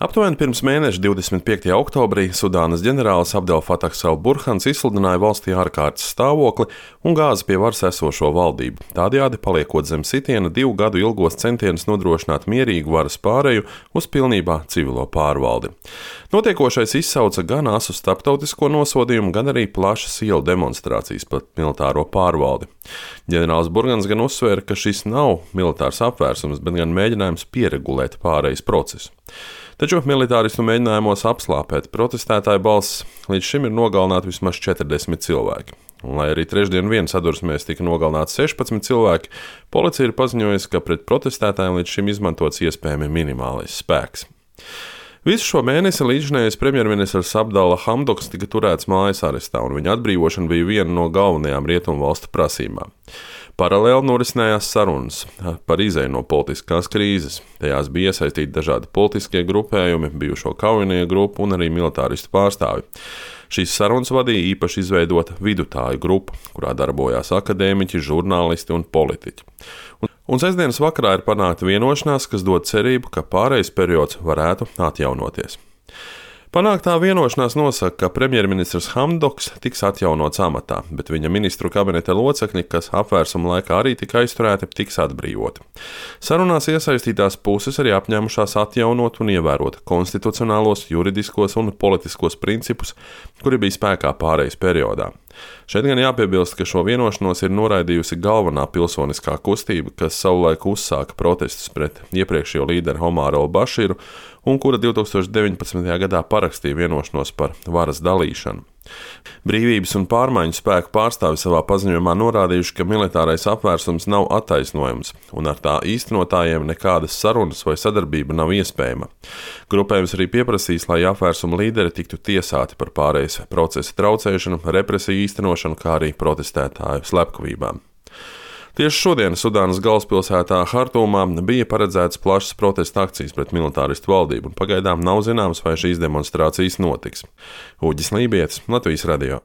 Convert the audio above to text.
Aptuveni pirms mēneša 25. oktobrī Sudānas ģenerālis Abdel Fatahs al-Burhans izsludināja valstī ārkārtas stāvokli un gāza pie varas esošo valdību, tādējādi paliekot zem sitiena 2 gadu ilgos centienus nodrošināt mierīgu varas pāreju uz pilnībā civilo pārvaldi. Notiekošais izsauca gan asu starptautisko nosodījumu, gan arī plašas ielu demonstrācijas pret militāro pārvaldi. Ģenerālis Burhans gan uzsvēra, ka šis nav militārs apvērsums, bet gan mēģinājums pieregulēt pārejas procesu. Taču militāristu mēģinājumos apslāpēt protestētāju balsis līdz šim ir nogalināti vismaz 40 cilvēki. Un, lai arī trešdien vien sadursmēs tika nogalināti 16 cilvēki, policija ir paziņojusi, ka pret protestētājiem līdz šim izmantots iespējami minimālais spēks. Visu šo mēnesi līdzinājais premjerministrs Abdalla Hamdoks tika turēts mājas arestā, un viņa atbrīvošana bija viena no galvenajām rietumvalstu prasībām. Paralēli norisinājās sarunas par izēju no politiskās krīzes. Tajās bija iesaistīti dažādi politiskie grupējumi, bijušo kaujinieku grupu un arī militāristu pārstāvi. Šīs sarunas vadīja īpaši izveidota vidutāju grupa, kurā darbojās akadēmiķi, žurnālisti un politiķi. Un sestdienas vakarā ir panākta vienošanās, kas dod cerību, ka pārejas periods varētu atjaunoties. Panāktā vienošanās nosaka, ka premjerministrs Hamdoks tiks atjaunots amatā, bet viņa ministru kabineta locekļi, kas apvērsuma laikā arī tika aizturēti, tiks atbrīvoti. Sarunās iesaistītās puses arī apņēmušās atjaunot un ievērot konstitucionālos, juridiskos un politiskos principus, kuri bija spēkā pārejas periodā. Šeit gan jāpiebilst, ka šo vienošanos ir noraidījusi galvenā pilsoniskā kustība, kas savulaik uzsāka protestus pret iepriekšējo līderi Omāru al-Bašīru un kura 2019. gadā parakstīja vienošanos par varas dalīšanu. Brīvības un pārmaiņu spēku pārstāvi savā paziņojumā norādījuši, ka militārais apvērsums nav attaisnojams un ar tā īstenotājiem nekādas sarunas vai sadarbība nav iespējama. Grupējums arī pieprasīs, lai apvērsuma līderi tiktu tiesāti par pārejas procesa traucēšanu, represiju īstenošanu, kā arī protestētāju slepkavībām. Tieši šodien Sudānas galvaspilsētā Hartumā bija paredzētas plašas protesta akcijas pret militāristu valdību, un pagaidām nav zināms, vai šīs demonstrācijas notiks. Uģis Lībietis, Latvijas radio.